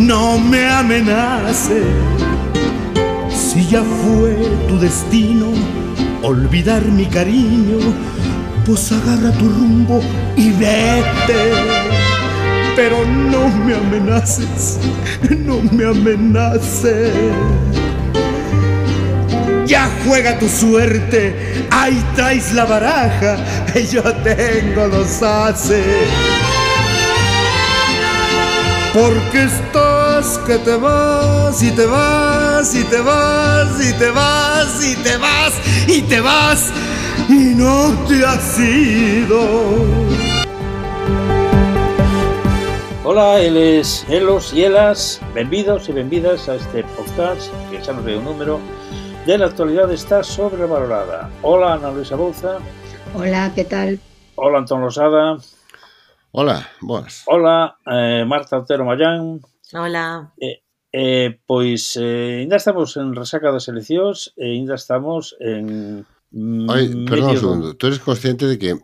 no me amenaces. Si ya fue tu destino olvidar mi cariño, pues agarra tu rumbo y vete. Pero no me amenaces, no me amenaces. Ya juega tu suerte, ahí traes la baraja, yo tengo los ases. Porque estás que te vas y te vas y te vas y te vas y te vas y te vas y no te has ido. Hola, eles, elos e elas, benvidos e benvidas a este podcast que xa nos ve un número de la actualidade está sobrevalorada. Hola, Ana Luisa Bouza. Hola, que tal? Hola, Antón Losada. Hola, boas. Hola, Marta Otero Mayán. Hola. Pois, ainda estamos en resaca das eleccións e ainda estamos en... Perdón un segundo, tú eres consciente de que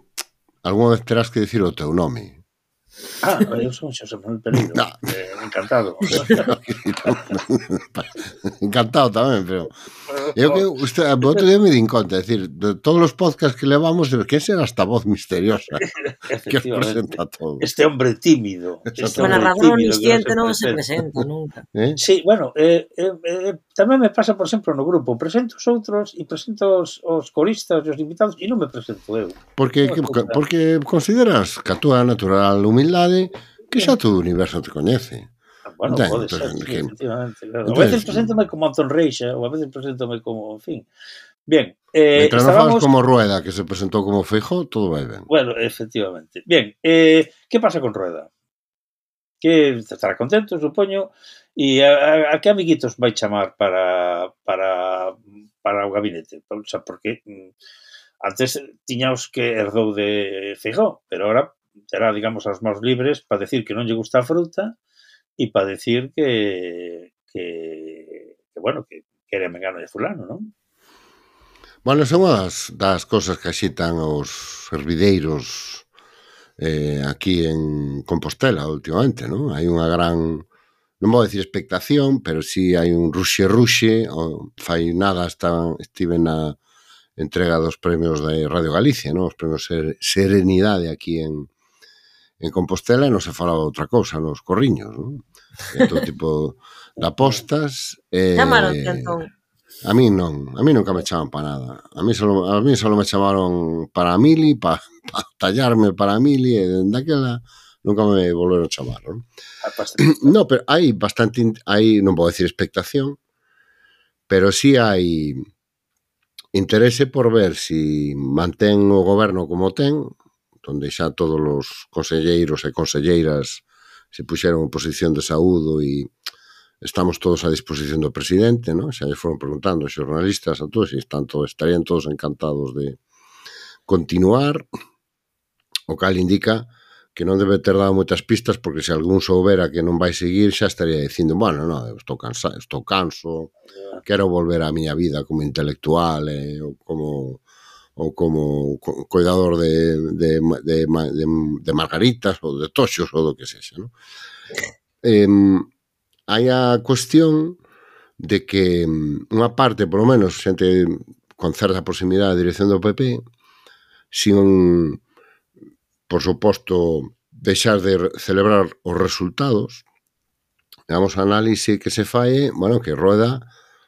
algunha vez terás que decir o teu nome? Eu son Xosé Manuel Pereiro. No. Encantado. Encantado tamén, pero eu que outro día me din conta, é dicir, de todos os podcasts que levamos, quen será esta voz misteriosa que os presenta a todos? Este hombre tímido. O narrador omnisciente non se presenta nunca. Sí, bueno, tamén me pasa, por exemplo, no grupo, presento os outros e presento os coristas e os invitados e non me presento eu. Porque consideras que a túa natural humildade que xa todo o universo te coñece. Bueno, pode ser, sí, efectivamente, claro. A veces preséntome como Antón Reixa, ou a veces preséntome como, en fin. Bien, mientras non falas como Rueda, que se presentou como Feijóo, todo vai ben. Bueno, efectivamente. Bien, que pasa con Rueda? Que estará contento, supoño, e a que amiguitos vai chamar para o gabinete? O sea, porque antes tiñaos que herdou de Feijóo, pero ahora terá, digamos, as mãos libres para decir que non lle gusta a fruta e para decir que bueno, que quere mengano de fulano, non? Bueno, son das cosas que axitan os hervideiros aquí en Compostela últimamente, non? Hai unha gran, non vou decir expectación, pero sí hai un ruxe, fai nada estive na entrega dos premios de Radio Galicia, non? Os premios Serenidade aquí en Compostela, e non se falaba outra cousa nos corriños, non? Todo tipo de apostas. Chamaronte, Antón? A mí nunca me chaman para nada. A mí solo me chamaron para a mili, para tallarme para a mili, e dende aquela nunca me volveron a chamar, non? No, pero hai bastante, non vou decir expectación, pero sí hai interese por ver si mantén o goberno como ten, onde xa todos os conselleiros e conselleiras se puxeron en posición de saúdo e estamos todos a disposición do presidente, non? Xa lle foron preguntando os xornalistas a todos e estarían todos encantados de continuar, o cal indica que non debe ter dado moitas pistas, porque se algún soubera que non vai seguir xa estaría dicindo, bueno, non, estou canso, quero volver á miña vida como intelectual ou como cuidador de margaritas ou de toxos ou do que sexa, non? Hai a cuestión de que unha parte, por lo menos, xente con certa proximidade a dirección do PP, sin, por suposto, deixar de celebrar os resultados, digamos, a análise que se fai, bueno, que Rueda,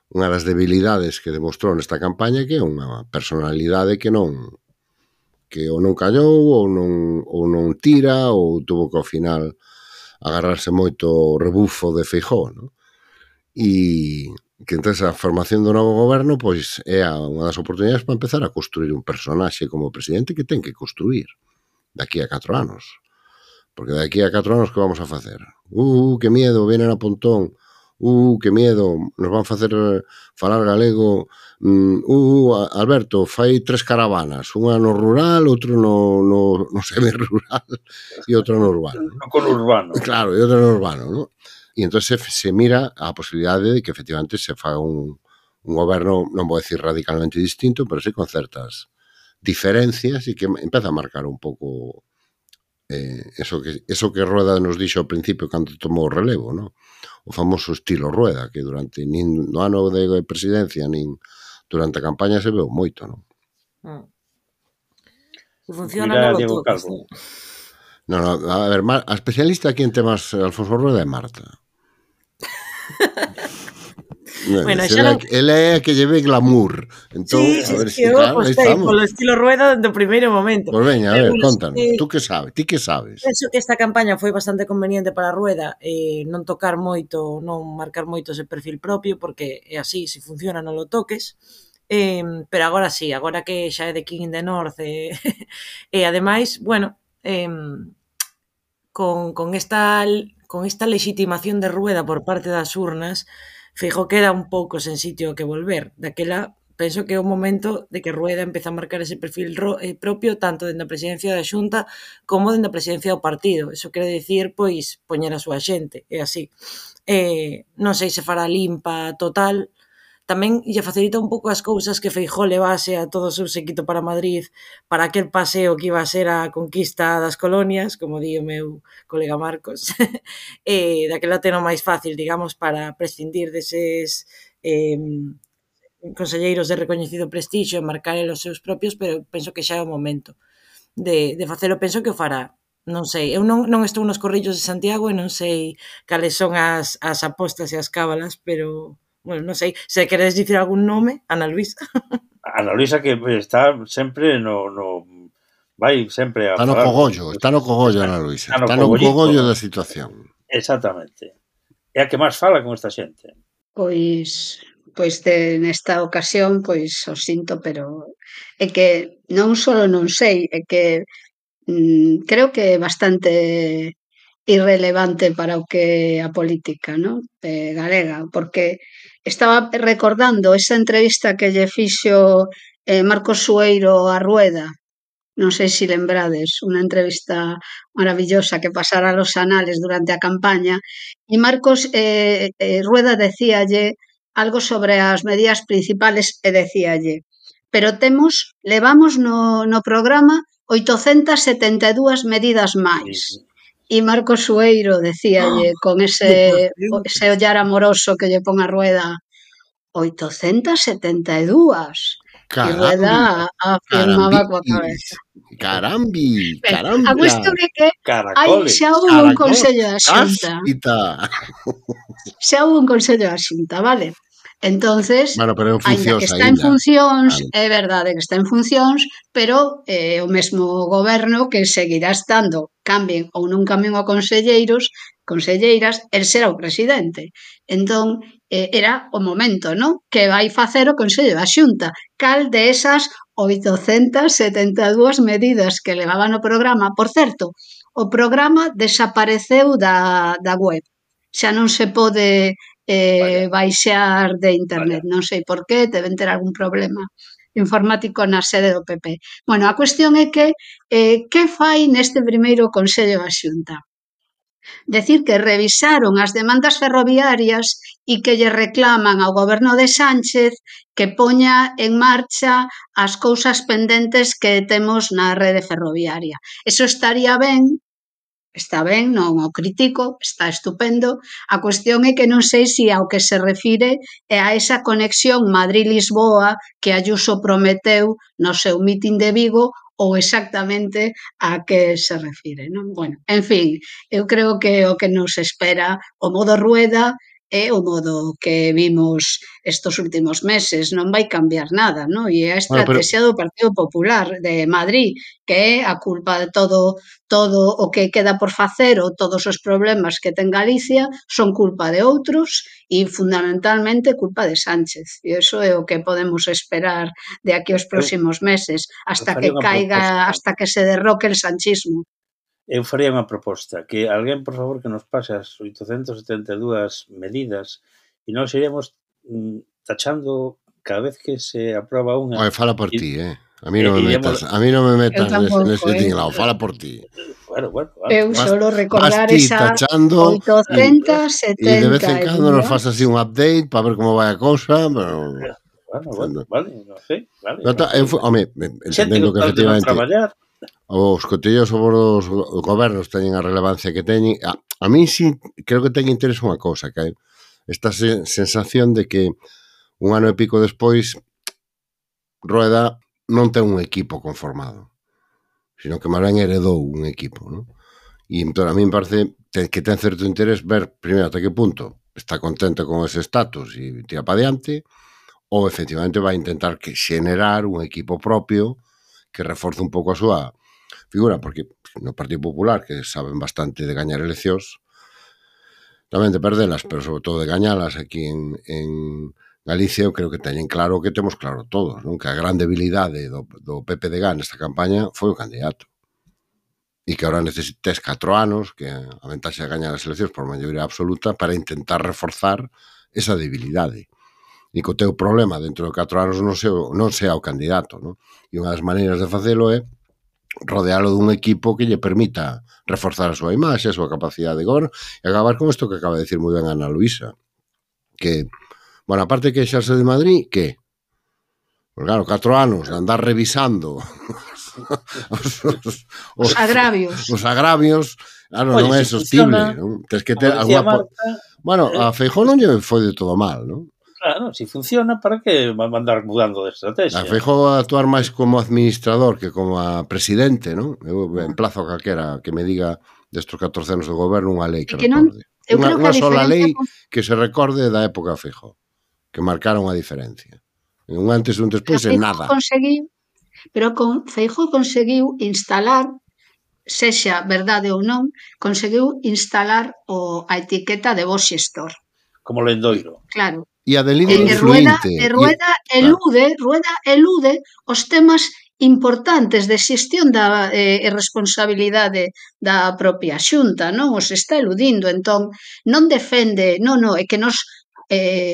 unha das debilidades que demostrou nesta campaña, que é unha personalidade que ou non callou, ou non tira, ou tuvo que ao final agarrarse moito o rebufo de Feijóo, non? E que entonces a formación do novo goberno pois é unha das oportunidades para empezar a construir un personaxe como presidente que ten que construir daqui a 4 anos. Porque daqui a 4 anos que vamos a facer? Que miedo, vienen a Pontón. Que miedo, nos van facer falar galego. Alberto, fai 3 caravanas, unha no rural, outro no semi-rural e outra no urbano. No conurbano. Claro, e outra no urbano, non? E entón se mira a posibilidade de que efectivamente se faga un goberno, non vou decir radicalmente distinto, pero sí con certas diferencias e que empeza a marcar un pouco eso que Rueda nos dixo ao principio cando tomou o relevo, non? o famoso estilo Rueda, que durante nin no ano de presidencia, nin durante a campaña se veu moito, non? Se funciona, Mira non lo Diego toques. Calvo. No, a ver, a especialista aquí en temas Alfonso Rueda é Marta. Bueno, xa non... Ele é a que lleve glamour. Entón, Sí, a ver, que eu claro, aí apostei estamos. polo estilo Rueda do primeiro momento. Pois veña, a ver, Bueno, contanos. Tú que sabes? Ti que sabes? Penso que esta campaña foi bastante conveniente para a Rueda, non tocar moito, non marcar moito ese perfil propio, porque é así, se funciona non lo toques. Pero agora sí, agora que xa é de King in the North, e ademais, bueno, con esta legitimación de Rueda por parte das urnas, Feijóo queda un pouco sen sitio que volver. Daquela, penso que é o momento de que Rueda empeza a marcar ese perfil propio tanto dentro da presidencia da Xunta como dentro da presidencia do partido. Eso quere dicir, pois, poñer a súa xente, é así. Non sei se fará limpa total, tamén lle facilita un pouco as cousas que Feijóo levase a todo o seu séquito para Madrid para aquel paseo que iba a ser a conquista das colonias, como di o meu colega Marcos. Daquela teno máis fácil, digamos, para prescindir deses conselleiros de recoñecido prestixio e marcar os seus propios, pero penso que xa é o momento de facelo. Penso que o fará. Non sei, eu non estou nos corrillos de Santiago e non sei cales son as apostas e as cábalas, pero... Bueno, non sei, se queredes dicir algún nome, Ana Luisa. Ana Luisa que está sempre vai sempre a Está no cogollo, Ana Luisa. Está no cogollo da situación. Exactamente. É a que máis fala con esta xente. Pois nesta ocasión, pois o sinto, pero é que non só non sei, é que creo que é bastante irrelevante para o que a política, non? Galega, porque estaba recordando esa entrevista que lle fixo Marcos Sueiro a Rueda, non sei se lembrades, unha entrevista maravillosa que pasara los anales durante a campaña, e Marcos Rueda decíalle algo sobre as medidas principales e decíalle, pero levamos no programa 872 medidas máis. E Marcos Sueiro decíalle con ese ollar amoroso que lle pon a Rueda, 872. E Rueda afirmaba coa cabeza. Carambi. A cuestión é que xa houve un Consello da Xunta. Xa houve un Consello da Xunta, vale? Entonces, bueno, pero ainda que está en funcións, é verdade que está en funcións, pero o mesmo goberno que seguirá estando, cambien ou non cambien o conselleiras, el será o presidente. Entón, era o momento, non? Que vai facer o Consello da Xunta. Cal de esas 872 medidas que levaban no programa, por certo, o programa desapareceu da web. Xa non se pode baixar de internet, non sei por qué, deben ter algún problema informático na sede do PP. Bueno, a cuestión é que fai neste primeiro Consello da Xunta? Decir que revisaron as demandas ferroviarias e que lle reclaman ao goberno de Sánchez que poña en marcha as cousas pendentes que temos na rede ferroviaria. Eso estaría ben, está ben, non o critico, está estupendo. A cuestión é que non sei se ao que se refire é a esa conexión Madrid-Lisboa que Ayuso prometeu no seu mitin de Vigo ou exactamente a que se refire, non? Bueno, en fin, eu creo que o que nos espera o modo Rueda é o modo que vimos estos últimos meses, non vai cambiar nada, non? E a estrategia do Partido Popular de Madrid, que é a culpa de todo o que queda por facer ou todos os problemas que ten Galicia son culpa de outros e fundamentalmente culpa de Sánchez. E iso é o que podemos esperar de aquí aos próximos meses, hasta que caiga, hasta que se derroque el sanchismo. Eu faría unha proposta, que alguén, por favor, que nos pase as 872 medidas e nós iremos tachando cada vez que se aproba unha. Oye, fala por ti, A mí non me metas nese tinglado, fala por ti. Bueno. Eu solo recordar esa 872. E de vez en cando nos faz así un update para ver como vai a cousa, pero... Bueno, vale, non sei, vale. Home, entendendo que efectivamente os cotillos sobre os gobernos teñen a relevancia que teñen. A mí sí creo que ten interés unha cousa, que hai esta sensación de que un ano e pico despois Rueda non ten un equipo conformado, sino que máis ben heredou un equipo, non? E entón a mí me parece que ten certo interés ver primeiro ata que punto está contento con ese estatus e tira para diante, ou efectivamente vai intentar que xenerar un equipo propio que reforce un pouco a súa figura, porque no Partido Popular, que saben bastante de gañar eleccións, tamén de perdelas, pero sobre todo de gañalas aquí en Galicia, eu creo que teñen claro o que temos claro todos, non? Que a gran debilidade do PPDG nesta campaña foi o candidato. E que agora necesites 4 anos, que a ventaxa de gañar as eleccións por maioría absoluta, para intentar reforzar esa debilidade. E que o teu problema dentro de 4 anos non sea o candidato, non? E unha das maneiras de facelo é rodealo dun equipo que lle permita reforzar a súa imaxe, a súa capacidade de goberno e acabar con isto que acaba de decir moi ben Ana Luisa, que, bueno, aparte que xerse de Madrid, que? Pues claro, 4 anos de andar revisando os agravios. Os agravios, claro, non é sostible, non? Tens que ter alguna... Bueno, a Feijóo non lle foi de todo mal, non? Claro, si funciona, para que mandar mudando de estrategia? A Feijóo a actuar máis como administrador que como a presidente, non? Eu emplazo a calquera que me diga destos 14 anos de goberno unha lei que recorde. Unha sola lei que se recorde da época a Feijóo, que marcara unha diferencia. Un antes e un despois en nada. Pero con Feijóo conseguiu instalar, sexa verdade ou non, conseguiu instalar a etiqueta de bo xestor. Como lendoiro. Claro. E a de líder influinte. Rueda elude os temas importantes de xestión e responsabilidade da propia Xunta, non? Os está eludindo, entón non defende, é que nos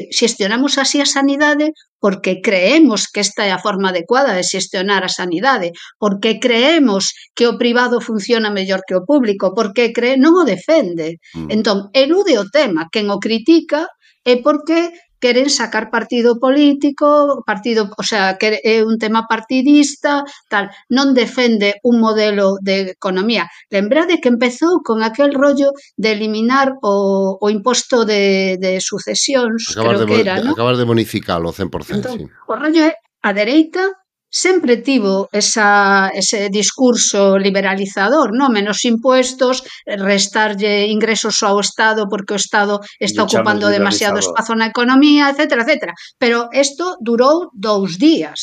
xestionamos así a sanidade porque creemos que esta é a forma adecuada de xestionar a sanidade, porque creemos que o privado funciona mellor que o público, porque non o defende. Entón, elude o tema, quen o critica é porque queren sacar partido político, o sea, que é un tema partidista, tal, non defende un modelo de economía. Lembrade que empezou con aquel rollo de eliminar o imposto de sucesións, creo que era, non? Acabar de bonificalo 100%, entón, sí. O rollo é, a dereita sempre tivo ese discurso liberalizador, non? Menos impuestos, restarlle ingresos ao Estado porque o Estado está ocupando demasiado espazo na economía, etcétera, etcétera. Pero isto durou 2 días,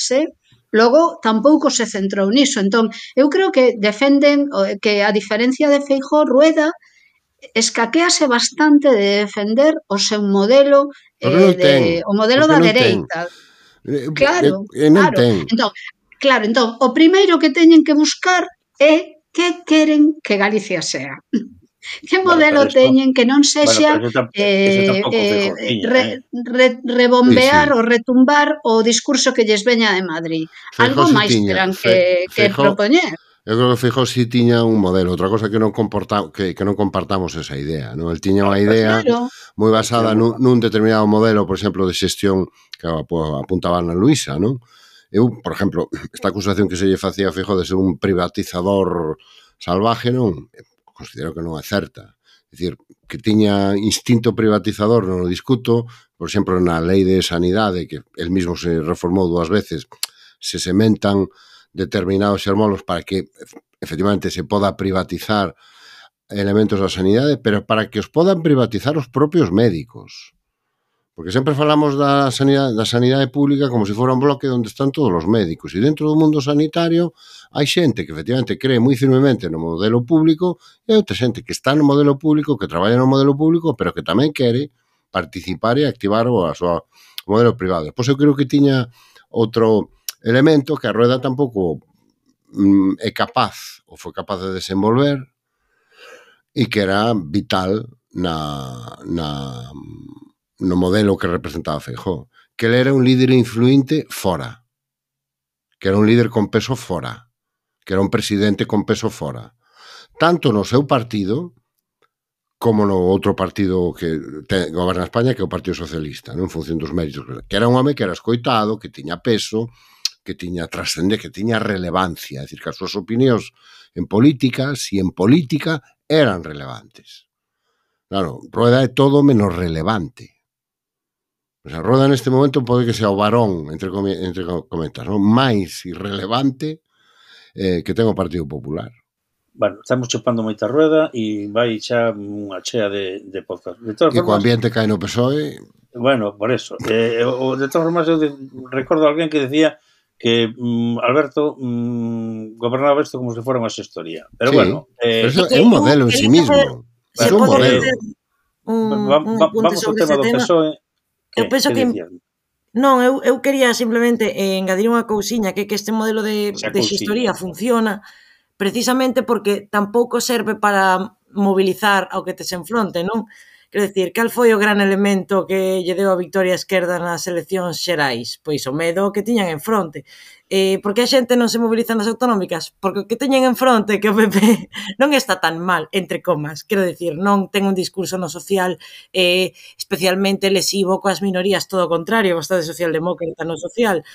Logo, tampouco se centrou niso. Entón, eu creo que defenden que a diferencia de Feijóo, Rueda escaquease bastante de defender o seu modelo, o modelo da dereita. Claro. Entón, o primeiro que teñen que buscar é que queren que Galicia sea. Que modelo teñen que non sexa rebombear ou retumbar o discurso que lles veña de Madrid. Algo máis terán que propoñer. Eu creo que Feijóo si tiña un modelo, outra cosa que non compartamos esa idea, non? El tiña unha idea moi basada nun determinado modelo, por exemplo, de xestión que apuntaba Ana Luisa, non? Eu, por exemplo, esta acusación que se lle facía a Feijóo de ser un privatizador salvaje, non? Considero que non é certa. É dicir, que tiña instinto privatizador, non o discuto, por exemplo, na lei de sanidade, que el mismo se reformou 2 veces, se sementan determinados xermolos para que efectivamente se poda privatizar elementos da sanidade, pero para que os podan privatizar os propios médicos. Porque sempre falamos da sanidade pública como se fora un bloque onde están todos os médicos. E dentro do mundo sanitario hai xente que efectivamente cree moi firmemente no modelo público e outra xente que está no modelo público, que traballa no modelo público, pero que tamén quere participar e activar o modelo privado. Depois eu creo que tiña outro elemento que a Rueda tampouco é capaz ou foi capaz de desenvolver e que era vital no modelo que representaba Feijóo, que ele era un líder influinte fora, que era un líder con peso fora, que era un presidente con peso fora, tanto no seu partido como no outro partido que goberna España, que é o Partido Socialista, en función dos méritos, que era un home que era escoitado, que tiña peso, que tiña trascender, que tiña relevancia, é dicir, que as súas opinións en política, si en política, eran relevantes. Claro, Rueda é todo menos relevante. O sea, Rueda neste momento pode que sea o varón, entre comentas, non? máis irrelevante que ten o Partido Popular. Bueno, estamos chupando moita rueda e vai xa unha chea de podcast. De todas E co formas, ambiente cae no PSOE... bueno, por eso. De todas formas, eu recordo a alguén que decía que Alberto gobernaba isto como se fora unha xestoría. Pero Sí, bueno... pero eso é un modelo en sí mismo. É un modelo. Vamos ao tema do PSOE. Eu penso que... Non, eu quería simplemente engadir unha cousiña, que este modelo de xestoría funciona precisamente porque tampouco serve para mobilizar ao que tes enfronte, non? Quero dicir, cal foi o gran elemento que lle deu a victoria á esquerda nas eleccións xerais? Pois o medo que tiñan enfronte. Por que a xente non se moviliza nas autonómicas? Porque o que teñen enfronte que o PP non está tan mal, entre comas. Quero dicir, non ten un discurso no social especialmente lesivo coas minorías, todo o contrario, bastante socialdemócrata no social.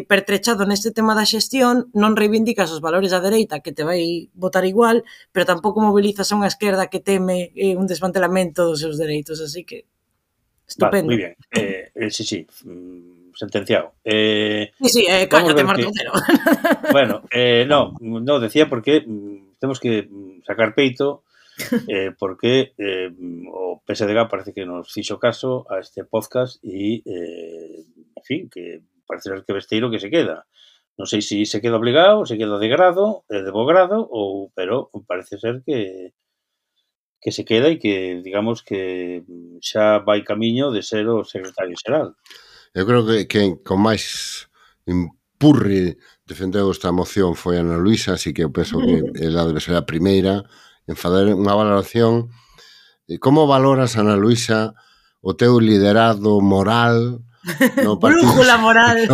Pertrechado neste tema da xestión, non reivindicas os valores da dereita, que te vai votar igual, pero tampouco mobilizas a unha esquerda que teme un desmantelamento dos seus dereitos, así que estupendo. Vale, moi ben. Sí, sentenciado. Sí, cállate, Martocero. Bueno, no, decía porque temos que sacar peito porque o PSDG parece que nos fixo caso a este podcast e, en fin, que parece ser que Besteiro que se queda. Non sei se se queda obligado, se queda de grado, de bo grado, pero parece ser que se queda e que, digamos, que xa vai camiño de ser o secretario xeral. Eu creo que con máis empurre defendeu esta moción foi Ana Luisa, así que eu penso que ela debe ser a primeira en fazer unha valoración. Como valoras, Ana Luisa, o teu liderado moral no partido, brújula moral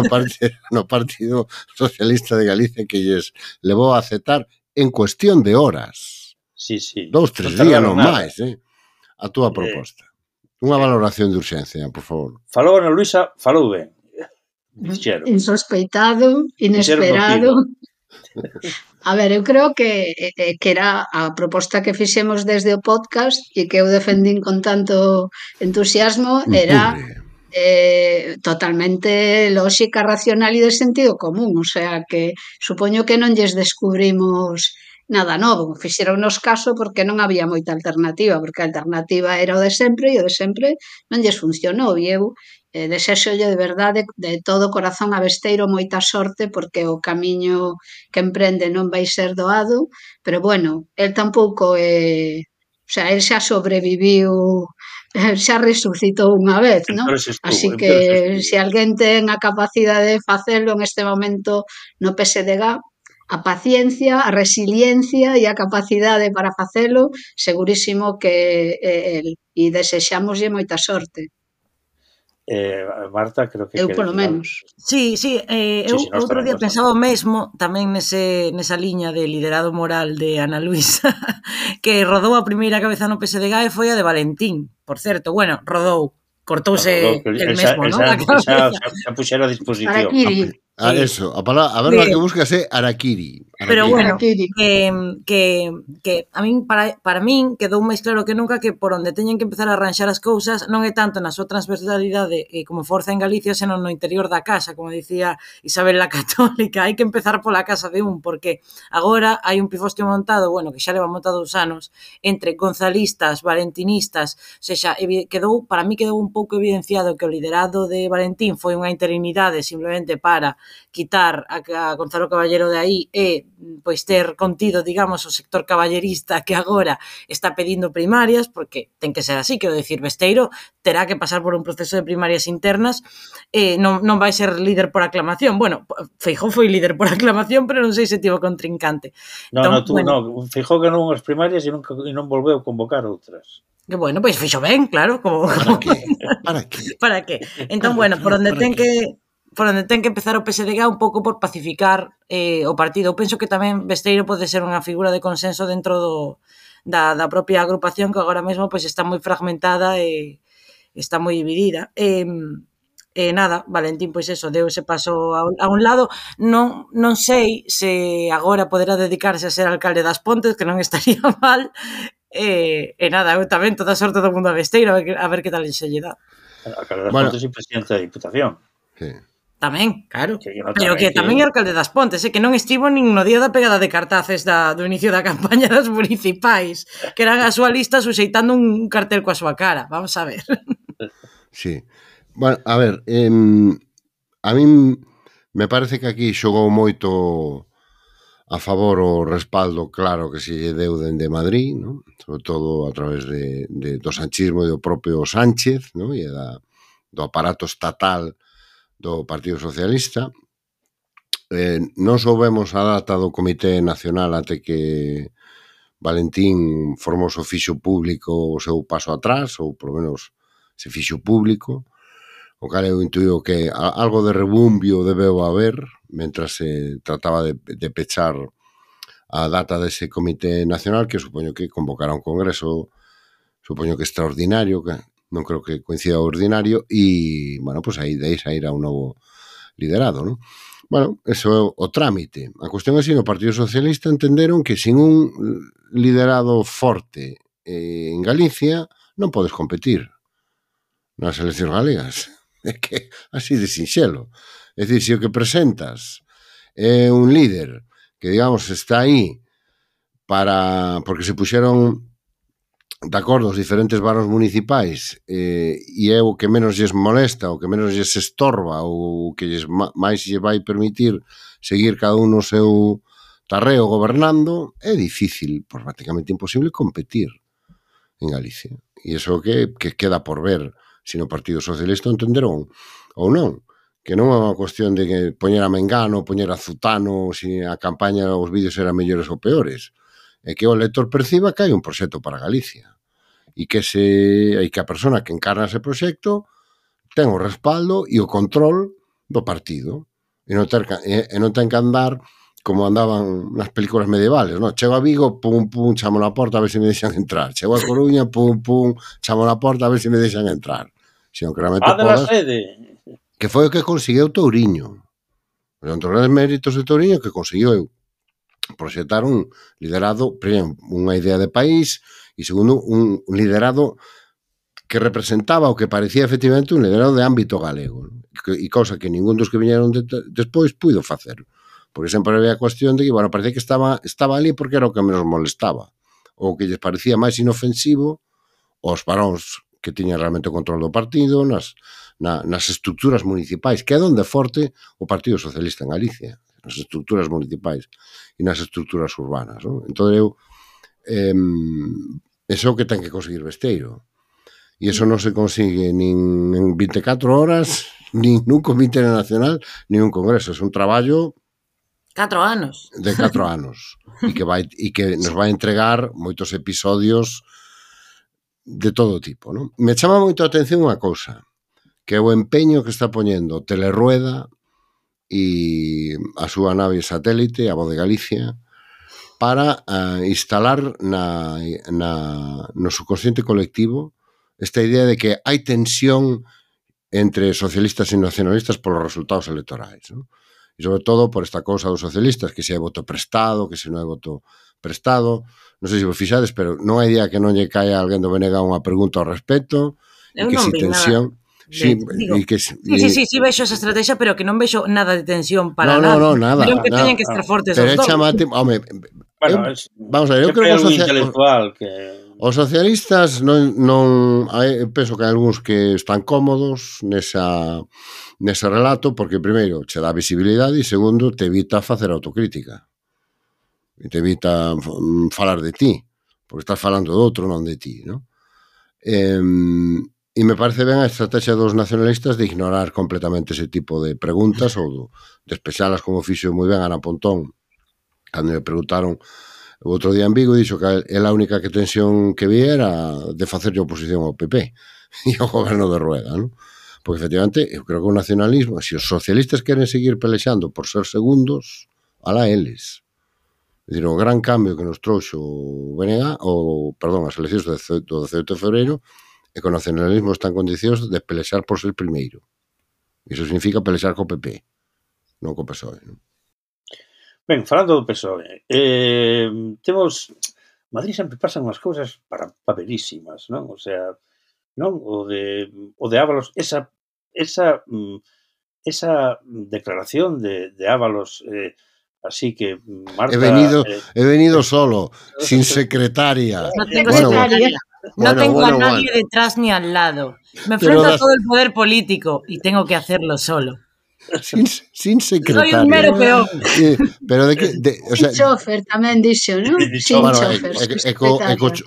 no Partido Socialista de Galicia que lles levou a aceptar en cuestión de horas? Sí. 2, 3 días non máis, a túa proposta. Unha valoración de urxencia, por favor. Falou Ana Luisa, falou ben. Dixeron. Insospeitado, inesperado. A ver, eu creo que era a proposta que fixemos desde o podcast e que eu defendín con tanto entusiasmo era totalmente lógica, racional e de sentido común, o sea que supoño que non lles descubrimos nada novo, fixeronnos caso porque non había moita alternativa, porque a alternativa era o de sempre e o de sempre non lles funcionou e eu desexolle de verdade de todo corazón a Besteiro moita sorte porque o camiño que emprende non vai ser doado, pero bueno, el tampouco o sea, el xa sobreviviu, xa resucitou unha vez, non? Así que se alguén ten a capacidade de facelo en este momento no PSDG, a paciencia, a resiliencia e a capacidade para facelo, segurísimo que el, e desexámoslle moita sorte. Marta, creo que... Eu polo menos. Sí, eu outro día pensaba o mesmo, tamén nesa liña de liderado moral de Ana Luisa, que rodou a primeira cabeza no PSDG e foi a de Valentín, por certo, bueno, rodou, cortouse el mesmo, non? Xa puxera a disposición. Eso, a ver, que buscas é Araquiri. Pero bueno, que a min, para min quedou máis claro que nunca que por onde teñen que empezar a arranxar as cousas non é tanto na súa transversalidade como forza en Galicia, senón no interior da casa, como dicía Isabel la Católica, hai que empezar pola casa de porque agora hai un pifostio montado, bueno, que xa leva montado 2 anos, entre gonzalistas, valentinistas, o sea, para mí quedou un pouco evidenciado que o liderado de Valentín foi unha interinidade simplemente para quitar a Gonzalo Caballero de aí e pois ter contido, digamos, o sector caballerista que agora está pedindo primarias, porque ten que ser así, quero dicir, Besteiro terá que pasar por un proceso de primarias internas, non vai ser líder por aclamación. Bueno, Feijóo foi líder por aclamación, pero non sei se tivo contrincante. Feijóo ganou as primarias e non volveu convocar outras. Que bueno, pois fixo ben, claro. Para que? Entón, bueno, por onde ten que empezar o PSDG un pouco por pacificar o partido. Eu penso que tamén Besteiro pode ser unha figura de consenso dentro da propia agrupación que agora mesmo pois está moi fragmentada e está moi dividida. E nada, Valentín, pois eso, deu ese paso a un lado. Non sei se agora poderá dedicarse a ser alcalde das Pontes, que non estaría mal. E nada, eu tamén toda a sorte do mundo a Besteiro, a ver que tal se lle dá. Alcalde das Bueno. Pontes e presidente da Diputación. Sí. Tamén, claro. Que non Pero que tamén é alcalde das Pontes, que non estivo nin no día da pegada de cartaces do inicio da campaña das municipais, que eran a súa lista suxeitando un cartel coa súa cara. Vamos a ver. Sí. Bueno, a ver, a min me parece que aquí xogou moito a favor o respaldo claro que se lle deu dende Madrid, ¿no? Sobre todo a través do sanchismo e do propio Sánchez, ¿no? E do aparato estatal do Partido Socialista. Non soubemos a data do Comité Nacional até que Valentín Formoso fixo público o seu paso atrás, ou por lo menos se fixo público, o cal eu intuío que algo de rebumbio debeu haber mentras se trataba de pechar a data dese Comité Nacional, que supoño que convocará un congreso, supoño que extraordinario, que non creo que coincida o ordinario, e, bueno, pues aí de aí sairá un novo liderado, non? Bueno, eso é o trámite. A cuestión é que no Partido Socialista entenderon que sin un liderado forte en Galicia non podes competir nas eleccións galegas. É que así de sinxelo. É dicir, se o que presentas é un líder que, digamos, está aí porque se puxeron de acordo os diferentes barros municipais e é o que menos lles molesta, o que menos lles estorba, ou o que máis lle vai permitir seguir cada un no seu tarreo gobernando, é difícil, pues prácticamente imposible competir en Galicia. E iso que queda por ver se no Partido Socialista entenderon ou non, que non é unha cuestión de que poñer a Mengano, poñer a Zutano, se a campaña, os vídeos eran mellores ou peores, é que o elector perciba que hai un proxecto para Galicia e que a persona que encarna ese proxecto ten o respaldo e o control do partido e non ten que andar como andaban nas películas medievales, no? Chego a Vigo, pum, pum, chamo na porta a ver se me deixan entrar. Chego a Coruña, pum, pum, chamo na porta a ver se me deixan entrar. Sino que realmente podas... sede. Que foi o que conseguiu Touriño. Entre os grandes méritos de Touriño que conseguiu proxectar un liderado, primeiro, unha idea de país e segundo, un liderado que representaba o que parecía efectivamente un liderado de ámbito galego, e cosa que ningún dos que viñeron despois puido facer. Porque sempre había a cuestión de que, bueno, parecía que estaba ali porque era o que menos molestaba, ou que lles parecía máis inofensivo aos varóns que tiñan realmente o control do partido, nas estructuras municipais, que é onde forte o Partido Socialista en Galicia, nas estructuras municipais e nas estructuras urbanas, non? Entón, eso é o que ten que conseguir Besteiro. E eso non se consigue nin en 24 horas, nin nun comité nacional, nin un congreso. É un traballo 4 anos. De 4 anos. E que nos vai entregar moitos episodios de todo tipo, non? Me chama moito a atención unha cousa, que é o empeño que está poñendo Telerueda e a súa nave satélite, a Voz de Galicia, para instalar no subconsciente colectivo esta idea de que hai tensión entre socialistas e nacionalistas polos resultados electorais, non? E sobre todo por esta cousa dos socialistas, que se hai voto prestado, que se non hai voto prestado. Non sei se vos fixades, pero non hai día que non lle caia a alguén do BNG unha pregunta ao respecto. Eu non vi tensión. Sí, vexo esa estrategia, pero que non vexo nada de tensión para nada. No, nada. Creo que teñen que estar fortes os dous. Vamos a ver, eu creo que os socialistas non penso que hai algúns que están cómodos nese relato, porque primeiro che dá visibilidade e segundo te evita facer autocrítica e te evita falar de ti, porque estás falando do outro, non de ti, non? E me parece ben a estrategia dos nacionalistas de ignorar completamente ese tipo de preguntas ou de despexalas como fixo moi ben Ana Pontón cando me preguntaron o outro día en Vigo, dixo que a única tensión que vi era de facerlle oposición ao PP e ao goberno de Rueda, non? Porque efectivamente eu creo que o nacionalismo, se os socialistas queren seguir pelexando por ser segundos, alá eles. É dicir, o gran cambio que nos trouxo o BNG, as eleccións do 18 de febreiro, é que o nacionalismo está en condicións de pelexar por ser primeiro. Iso significa pelexar co PP, non co PSOE. Non? Ben, falando do PSOE, temos... Madrid sempre pasan unhas cousas paperísimas, non? O sea, non? O de Ábalos, esa declaración de Ábalos, así que marca... He venido solo, sin secretaria. No tengo secretaria. No tengo a nadie detrás ni al lado. Me enfrento a todo el poder político y tengo que hacerlo solo. Sin secretaria. Soy un mero peón. Pero de que... O sea, chofer tamén dixo, non? Sin chofer.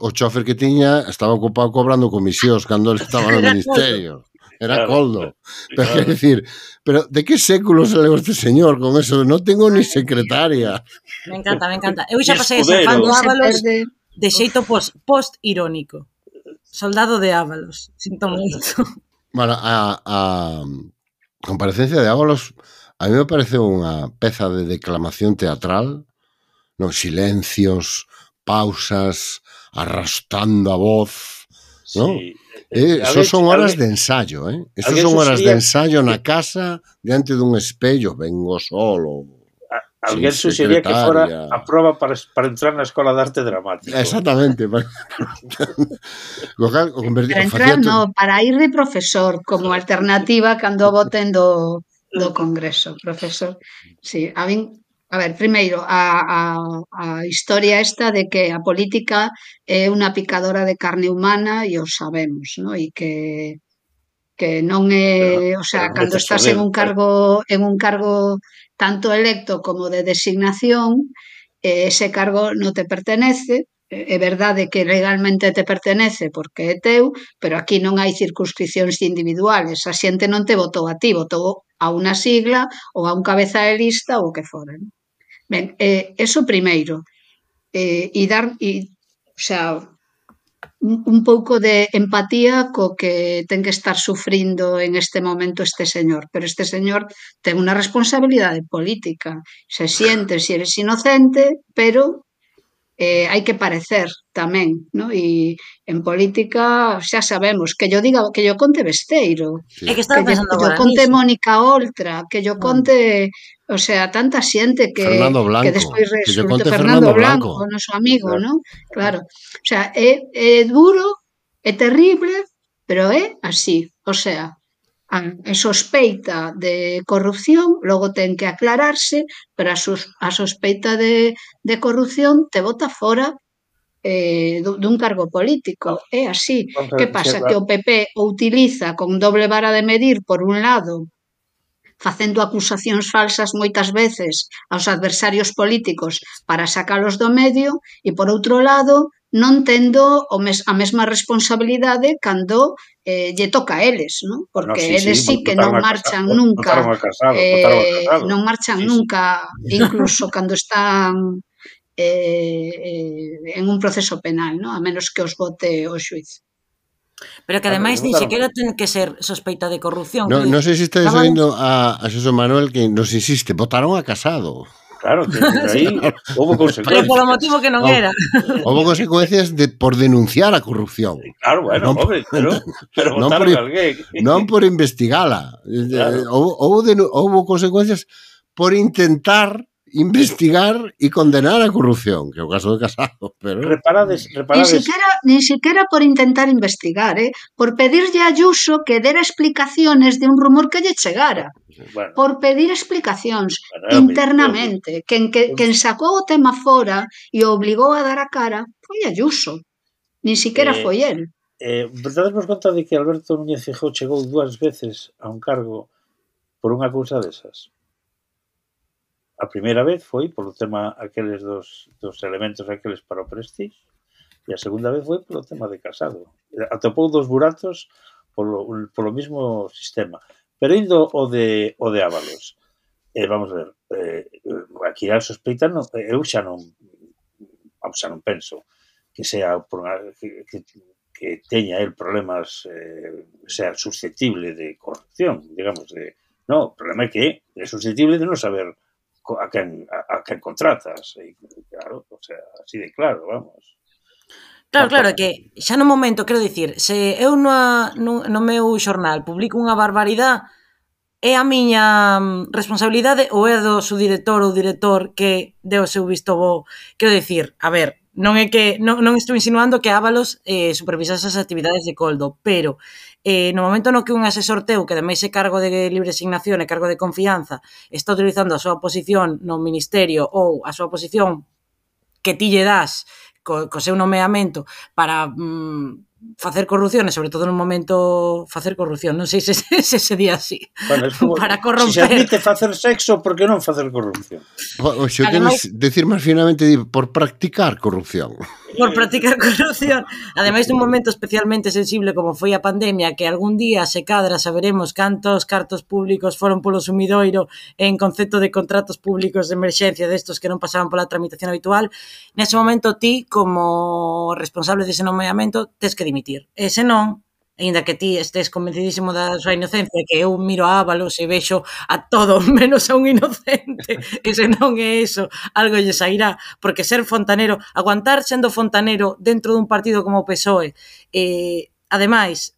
O chofer que tiña estaba ocupado cobrando comisións cando ele estaba no ministerio. Era coldo. Pero quer decir, pero de que século se levou este señor con eso? Non tengo ni secretaria. Me encanta. Eu xa pasei a ser fan de Ábalos de xeito post-irónico. Soldado de Ábalos. Sinto moito. Bueno, a comparecencia de Ábalos a mí me parece unha peza de declamación teatral, nos silencios, pausas, arrastrando a voz, ¿no? Sí. Eso son horas de ensayo, ¿eh? Eso son horas de ensayo na casa, diante dun espello, vengo solo. Alguén suxería que fora a proba para entrar na Escola de Arte Dramático. Exactamente. Para entrar, no, para ir de profesor, como alternativa cando voten do Congreso, profesor. Sí, a ver, primeiro, a historia esta de que a política é unha picadora de carne humana e o sabemos, ¿no? E que non é, o sea, cando estás en un cargo tanto electo como de designación, ese cargo non te pertenece. É verdade que legalmente te pertenece porque é teu, pero aquí non hai circunscripcións individuales. A xente non te votou a ti, votou a unha sigla ou a un cabeza de lista ou o que fora. Ben, eso primeiro. O sea, un pouco de empatía co que ten que estar sufrindo en este momento este señor, pero este señor ten unha responsabilidade política, se siente se eres inocente, pero hai que parecer tamén, ¿no? E en política xa sabemos que yo diga, que yo conte Besteiro, sí. Que yo conte Mónica Oltra, que yo conte, o sea, tanta xente que despois resulte Fernando Blanco, o noso amigo, ¿no? Claro. O sea, é duro, é terrible, pero é así. O sea, a sospeita de corrupción logo ten que aclararse, pero a sospeita de corrupción te bota fora dun cargo político. É así. Que pasa? Que o PP o utiliza con doble vara de medir, por un lado, facendo acusacións falsas moitas veces aos adversarios políticos para sacalos do medio, e por outro lado non tendo a mesma responsabilidade cando lle toca a eles, ¿no? Porque eles sí que non marchan nunca, non marchan nunca, incluso cando están en un proceso penal, ¿no? A menos que os vote o xuiz. Pero que ademais ni sequera ten que ser sospeita de corrupción. Non sei se estáis oindo a Xosé Manuel que nos insiste, votaron a Casado. Claro, que aí houve consecuencias. Pero polo motivo que non era. Houve consecuencias por denunciar a corrupción. Claro, bueno, hombre, pero votaron a alguén. Non por investigala. Claro. Houve consecuencias por intentar investigar e condenar a corrupción, que é o caso de Casado, pero... Reparades... Ni siquiera por intentar investigar, por pedirlle a Ayuso que dera explicaciones de un rumor que lle chegara. Bueno, por pedir explicacións internamente. Quen sacou o tema fora e o obligou a dar a cara foi Ayuso. Ni siquiera foi el. Dádesmos conta de que Alberto Núñez Feijóo chegou 2 veces a un cargo por unha cousa desas. A primeira vez foi polo tema aqueles dos elementos aqueles para o Prestige, e a segunda vez foi polo tema de Casado. Atopou 2 buratos polo mismo sistema. Pero indo o de Ábalos, vamos a ver, aquí a sospeita eu xa non penso que sea que teña el problemas, sea susceptible de corrupción, digamos, no, o problema é que é susceptible de non saber a quen contratas, claro, o sea, así de claro, vamos. Claro, que xa no momento, quero dicir, se eu no meu xornal publico unha barbaridade, é a miña responsabilidade ou é do subdirector ou director que deu o seu visto bo? Quero dicir, a ver, non é que non estou insinuando que Ábalos supervisase as actividades de Coldo, pero no momento no que un asesor teu, que ademais é cargo de libre asignación e cargo de confianza, está utilizando a súa posición no ministerio ou a súa posición que ti lle das co seu nomeamento para facer corrupción, e sobre todo no momento facer corrupción, non sei se se di así, bueno, como, para corromper. Se admite facer sexo, por que non facer corrupción? O se o queres decir máis finamente por practicar corrupción. Por practicar corrupción. Ademais dun momento especialmente sensible como foi a pandemia, que algún día se cadra saberemos cantos cartos públicos foron polo sumidoiro en concepto de contratos públicos de emerxencia destos que non pasaban pola tramitación habitual. Nese momento ti, como responsable dese nomeamento, tes que dimitir. E se non, aínda que ti estés convencidísimo da súa inocencia, que eu miro a Ábalos e vexo a todo menos a un inocente, e se non é eso, algo lle sairá, porque ser fontanero, aguantar sendo fontanero dentro dun partido como o PSOE, ademais,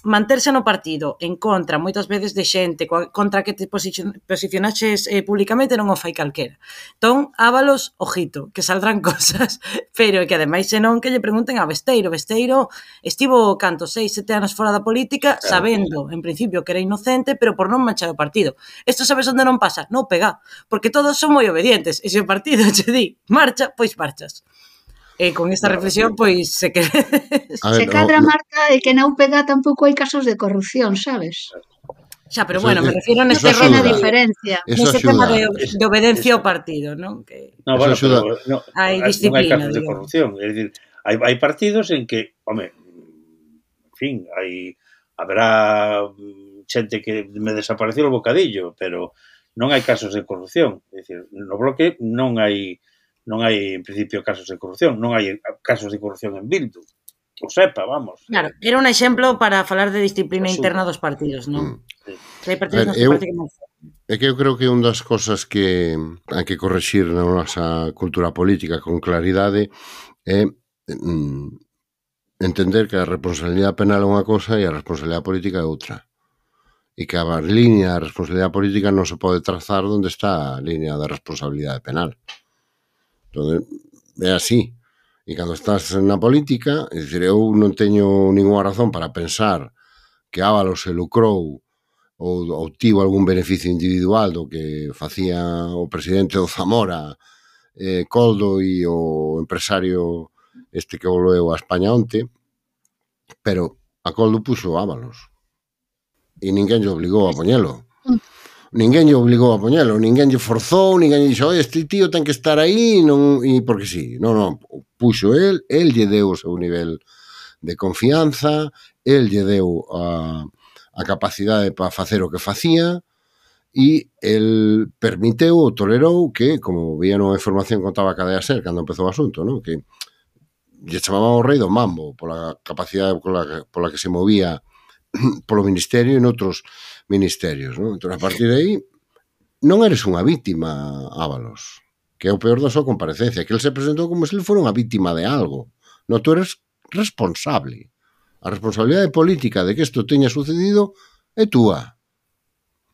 manterse no partido en contra moitas veces de xente contra que te posicionaxes públicamente non o fai calquera. Entón, Ábalos, ojito, que saldrán cosas, pero que ademais senón que lle pregunten a Besteiro. Besteiro estivo 6, 7 anos fora da política, sabendo, en principio, que era inocente, pero por non manchar o partido. Isto sabes onde non pasa? Non pega, porque todos son moi obedientes, e se o partido che di marcha, pois marchas. E con esta reflexión, pois, se que... Se cadra, Marta, é que na UPG tampouco hai casos de corrupción, sabes? Xa, pero bueno, me refiero neste reina diferencia. Neste tema de obedencia ao partido, non? No, bueno, pero hai non hai disciplina, casos de corrupción. É dicir, hai partidos en que, home, en fin, haberá xente que me desapareció o bocadillo, pero non hai casos de corrupción. É dicir, no Bloque non hai en principio casos de corrupción, non hai casos de corrupción en Bildu, que o sepa, vamos. Claro, era un exemplo para falar de disciplina interna dos partidos, non? Que hai partidos nos que parece que non. É que eu creo que unha das cosas que hai que correxir na nosa cultura política con claridade é entender que a responsabilidade penal é unha cosa e a responsabilidade política é outra. E que a línea da responsabilidade política non se pode trazar onde está a línea da responsabilidade penal. Entón, é así. E cando estás na política, é dicir, eu non teño ninguna razón para pensar que Ábalos se lucrou ou obtivo algún beneficio individual do que facía o presidente do Zamora, Coldo e o empresario este que volveu a España onte, pero a Coldo puxo Ábalos e ninguén lle obligou a poñelo. Ninguén lle obligou a poñelo, ninguén lle forzou, ninguén lle dixo, este tío ten que estar aí, non, e porque sí. Non, puxo el lle deu o seu nivel de confianza, el lle deu a capacidade para facer o que facía, e el permiteu ou tolerou que, como vía nunha información que contaba a Cadea Ser cando empezou o asunto, non? Que lle chamaban o rei do mambo pola capacidade pola que se movía polo ministerio e noutros ministerios, non? Entón, a partir de aí, non eres unha vítima, Ábalos, que é o peor da súa comparecencia, que ele se presentou como se ele fora unha vítima de algo. Non, tú eres responsable. A responsabilidade política de que isto teña sucedido é túa.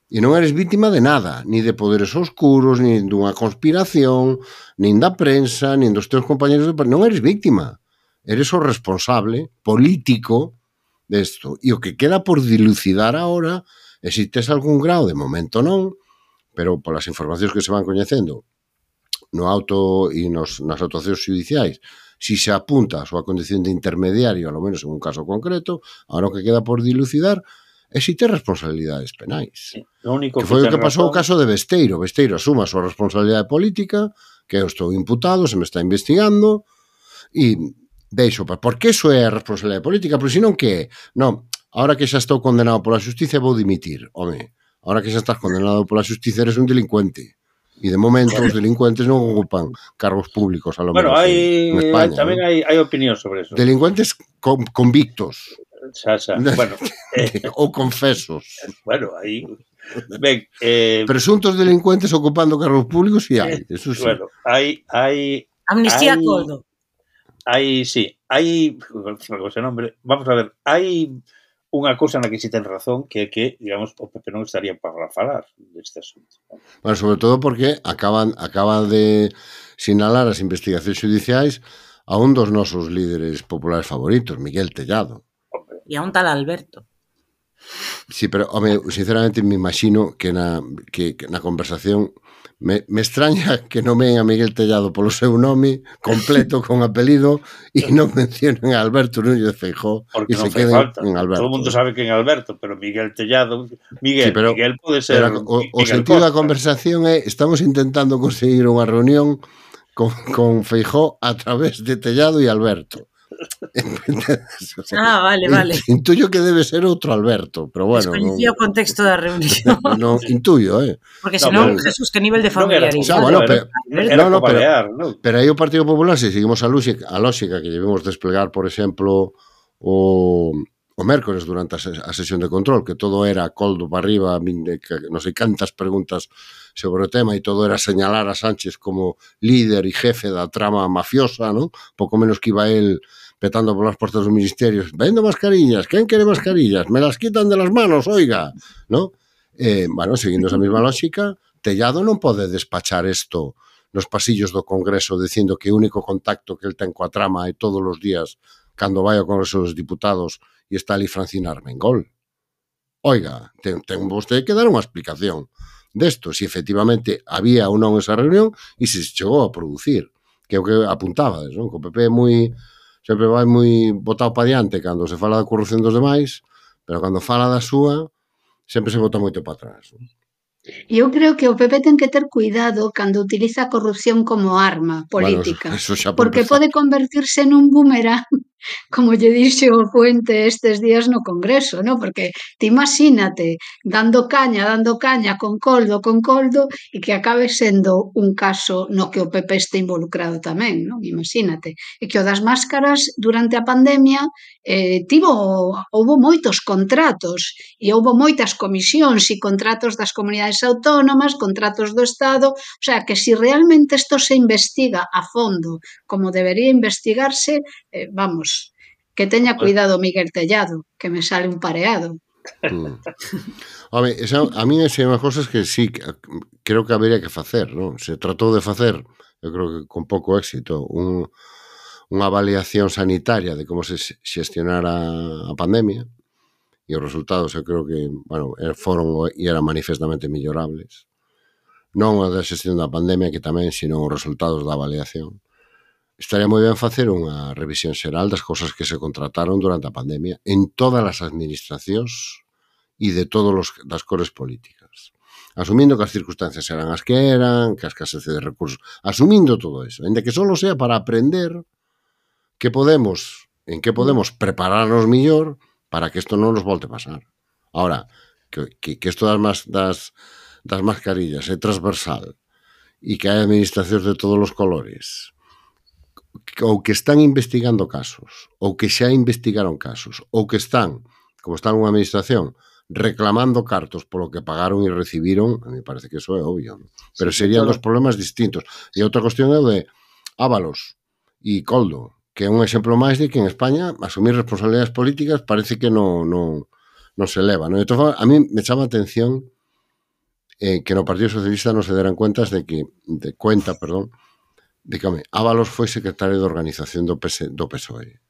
E non eres vítima de nada, ni de poderes oscuros, ni dunha conspiración, nin da prensa, nin dos teus compañeros de... Non eres vítima. Eres o responsable político desto. E o que queda por dilucidar agora é se tes algún grau, de momento non, pero polas informacións que se van coñecendo no auto e nas actuacións judiciais, si se apunta a súa condición de intermediario, ao menos en un caso concreto, agora o que queda por dilucidar é se tes responsabilidades penais. Que foi o que pasou o caso de Besteiro. Besteiro asuma a súa responsabilidade política, que eu estou imputado, se me está investigando, e deixo, porque iso é a responsabilidade política, porque senón que non, ahora que xa estou condenado pola xustiza vou dimitir. Home, ahora que xa estás condenado pola xustiza eres un delincuente. E de momento os delincuentes non ocupan cargos públicos, a lo menos en España. Tamén hai opinión sobre eso. Delincuentes convictos. Xa. Bueno, ou confesos. Bueno, aí... Ben, presuntos delincuentes ocupando cargos públicos e hai, eso sí. Bueno, hai... Amnistía a Coldo. Hai, sí, hai, ese nombre, vamos a ver, hai unha cousa na que si ten razón, que é que, digamos, o PP non estaría para falar deste asunto. Bueno, sobre todo porque acaban de sinalar as investigacións judiciais a un dos nosos líderes populares favoritos, Miguel Tellado. E a un tal Alberto. Sí, pero, home, sinceramente me imagino que na conversación me extraña que nomen a Miguel Tellado polo seu nome completo, con apelido, e non mencionen a Alberto Núñez Feijóo e se queden en Alberto. Todo o mundo sabe que en Alberto, pero Miguel Tellado... Miguel pode ser... Pero o sentido da conversación é estamos intentando conseguir unha reunión con Feijóo a través de Tellado e Alberto. O sea, vale. Intuyo que debe ser outro Alberto, pero bueno. Descoñecía o contexto da reunión. Non intuyo, Porque senón, Jesús, que nivel de familiaridade. Pero aí o Partido Popular, se seguimos a lógica que debemos desplegar, por exemplo, o mércores durante a sesión de control, que todo era coldo para arriba, non sei cantas preguntas sobre o tema, e todo era señalar a Sánchez como líder e jefe da trama mafiosa, non? Pouco menos que iba él petando polas portas dos ministerios, vendo mascarillas, quen quere mascarillas? Me las quitan de las manos, oiga, ¿no? Bueno, seguindo esa mesma lógica, Tellado non pode despachar isto nos pasillos do Congreso dicindo que o único contacto que el ten coa trama é todos os días cando vai ao Congreso dos Diputados e está ali Francina Armengol. Oiga, ten vostede que dar unha explicación desto, se efectivamente había ou non esa reunión e se chegou a producir, que é o que apuntabades, non? Que o PP é sempre vai moi botado para diante cando se fala da corrupción dos demais, pero cando fala da súa sempre se bota moito para atrás. Eu creo que o PP ten que ter cuidado cando utiliza a corrupción como arma política, porque pode convertirse nun boomerang, como lle dixe o Fuente estes días no Congreso, ¿no? Porque te imagínate dando caña con coldo, e que acabe sendo un caso no que o PP este involucrado tamén, ¿no? Imagínate. E que o das máscaras durante a pandemia houbo moitos contratos e houbo moitas comisións e contratos das comunidades autónomas, contratos do Estado, o sea, que si realmente isto se investiga a fondo como debería investigarse, vamos, que teña cuidado Miguel Tellado, que me sale un pareado. Home, a mí é unha cosa que sí, creo que habería que facer, non? Se tratou de facer, eu creo que con pouco éxito, unha avaliación sanitaria de como se xestionara a pandemia, e os resultados eu creo que, bueno, foron e eran manifestamente mellorables. Non a da xestión da pandemia, que tamén, sino os resultados da avaliación. Estaría moi ben facer unha revisión xeral das cousas que se contrataron durante a pandemia en todas as administracións e de todas das cores políticas. Asumindo que as circunstancias eran as que eran, que a escasez de recursos, asumindo todo eso, en que só sea para aprender en que podemos prepararnos millor para que isto non nos volte a pasar. Ahora, que isto das mascarillas é transversal e que hai administracións de todos os colores, ou que están investigando casos, ou que xa investigaron casos, ou que están, como está nunha administración, reclamando cartos polo que pagaron e recibiron, a mí parece que eso é obvio, ¿no? Pero serían dos problemas distintos. E outra cuestión é o de Ábalos e Coldo, que é un exemplo máis de que en España asumir responsabilidades políticas parece que non se eleva, ¿no? Entón, a mí me chama a atención que no Partido Socialista non se deran cuentas de que Ábalos foi secretario de organización do PSOE.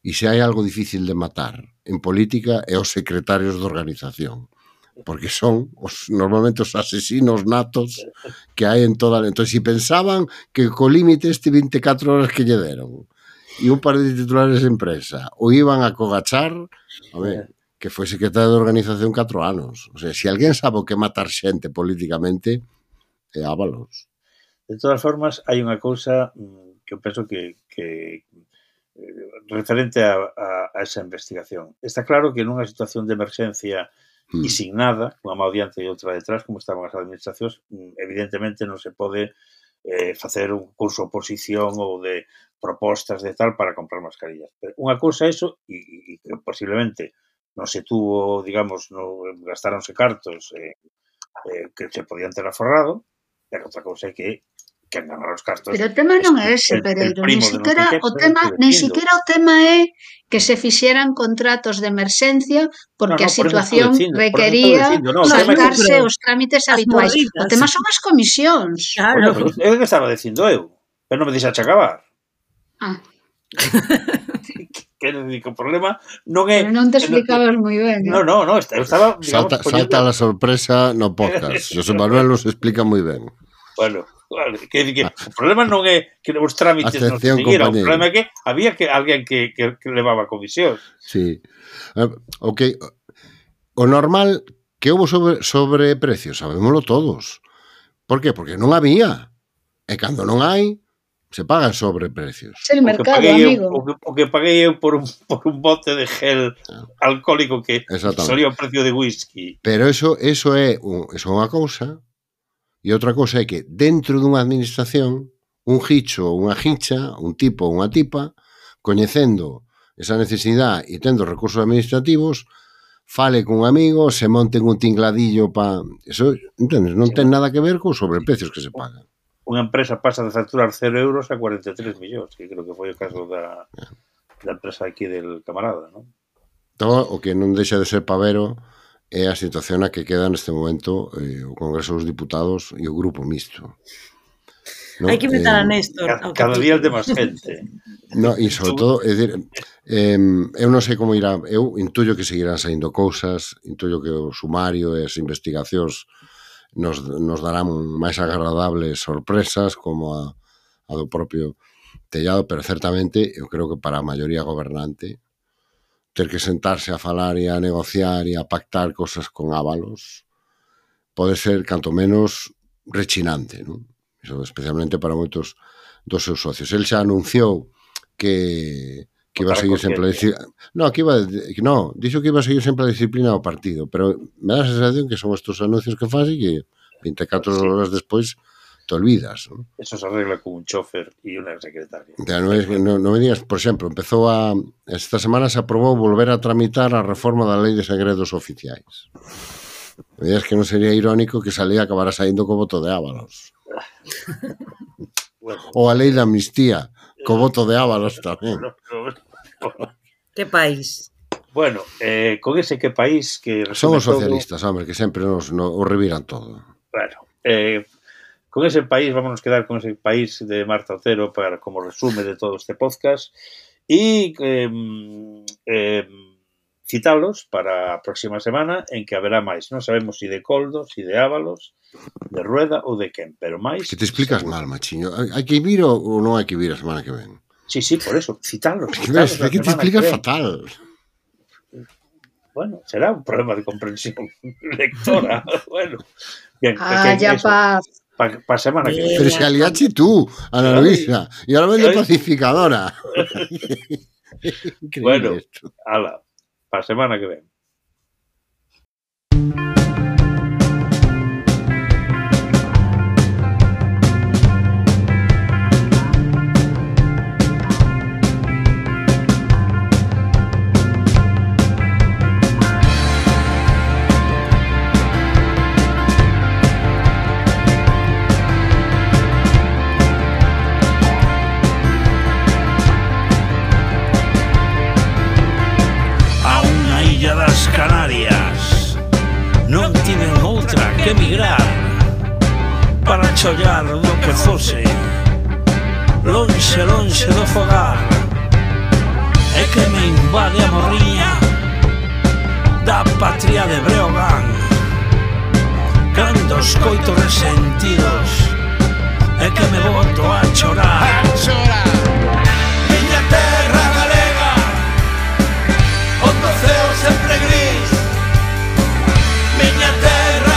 E se hai algo difícil de matar en política é os secretarios de organización, porque son normalmente os asesinos natos que hai en toda... Entón, se pensaban que co límite este 24 horas que lle deron e un par de titulares de empresa o iban a cogachar, a ver, que foi secretario de organización 4 anos. O sea, se alguén sabe o que matar xente políticamente é Ábalos. De todas formas, hai unha cousa que eu penso que referente a esa investigación. Está claro que nunha situación de emerxencia e sin nada, unha má diante e outra detrás, como estaban as administracións, evidentemente non se pode facer un curso de oposición ou de propostas de tal para comprar mascarillas. Pero unha cousa é eso, e que posiblemente non se tuvo, digamos, gastáronse cartos que se podían ter aforrado, pero outra cousa é que que ganar os castos. Pero o tema non é ese, Pereiro, nin siquiera o tema é que se fixeran contratos de emerxencia porque a situación requería saltarse os trámites habituais. O tema son as comisións. Claro. É o que estaba dicindo eu, pero non me deixaxe acabar. Quero dicir que o problema non é... Pero non te explicabas moi ben. No, eu estaba... Salta la sorpresa no podcast. José Manuel nos explica moi ben. Bueno, vale, quer dicir que o problema non é que os trámites non se seguiran, o problema é que había alguén que levaba comisións. Sí. Ok. O normal que houve sobre precios, sabémoslo todos. Por qué? Porque non había. E cando non hai, se pagan sobreprecios. É o mercado, amigo. O que paguei eu por un bote de gel alcohólico que solía o precio de whisky. Pero eso é unha cousa, e outra cousa é que dentro dunha administración, un gicho ou unha gicha, un tipo ou unha tipa, coñecendo esa necesidade e tendo recursos administrativos, fale cun amigo, se monten un tingladillo para... Eso, entendes? Non ten nada que ver cos sobreprecios que se pagan. Unha empresa pasa de facturar 0 euros a 43 millóns, que creo que foi o caso da empresa aquí del camarada, non? Todo o que non deixa de ser pavero é a situación na que queda neste momento o Congreso dos Diputados e o Grupo Mixto. Hai que invitar a Néstor. Cada día é de máis gente. No, e sobre todo, é dicir, eu non sei como irá, eu intuyo que seguirán saindo cousas, intuyo que o sumario e as investigacións nos darán máis agradables sorpresas como a do propio Tellado, pero certamente eu creo que para a maioría gobernante ter que sentarse a falar e a negociar e a pactar cosas con Ábalos pode ser canto menos rechinante, non? Iso especialmente para moitos dos seus socios. El xa anunciou que iba a seguir sempre a disciplina. Dixo que iba a seguir sempre a disciplina do partido, pero me dá a sensación que son estos anuncios que faz e que 24 horas despois te olvidas, ¿no? Eso se arregla con un chofer e unha secretaria. Non me digas, por exemplo, esta semana se aprobou volver a tramitar a reforma da Lei de Segredos Oficiais. Me digas que non sería irónico que salía acabara saindo co voto de Ábalos. Bueno. Ou a Lei de Amnistía, co voto de Ábalos tamén. Que país? Bueno, con ese que país que... Son os socialistas, hombre, que sempre nos reviran todo. Bueno, con ese país, vámonos quedar con ese país de Marta Otero para como resume de todo este podcast y citarlos para a próxima semana en que haberá máis. Non sabemos si de Coldo, si de Ábalos, de Rueda ou de quen, pero máis... Que te explicas mal, machiño. Hai que vir ou non hai que vir a semana que ven? Sí, por eso, citarlos. É que te explicas fatal. Bueno, será un problema de comprensión lectora. Bueno, bien. Ya paz. Para semana que viene. Pero se aliache tú, Ana Luisa, y ahora vende pacificadora. Bueno, ala, para semana que viene. Emigrar para chollar do que fose lonxe do fogar é que me invade a morriña da patria de Breogán cando os coito resentidos é que me boto a chorar miña terra galega onde o ceo sempre gris miña terra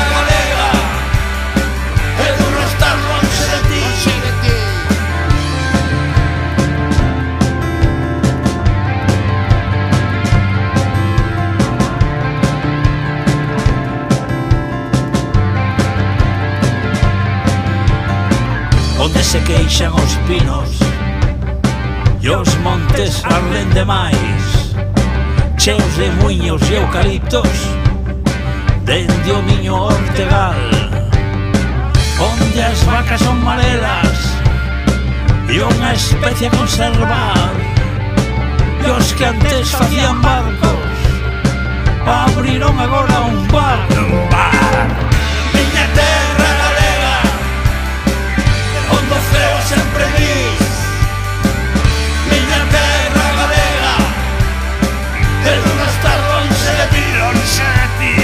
onde se queixan os pinos e os montes arden demais cheos de muiños e eucaliptos dende o miño Ortegal onde onde as vacas son maleras e unha especie a conservar, e os que antes facían barcos abriron agora un bar. Miña terra galega, onde o ceo sempre dis, miña terra galega, de non estar lonxe de ti, lonxe de ti.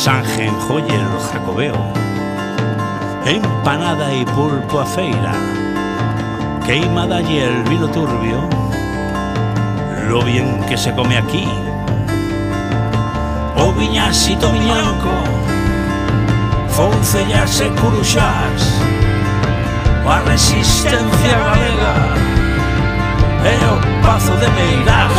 Sanjenjoyer o Jacobeo, empanada y pulpo a feira, queimada y el vino turbio, lo bien que se come aquí, o viñasito miñanco, foncellas e curuxás, a resistencia galega e o pazo de Meirás.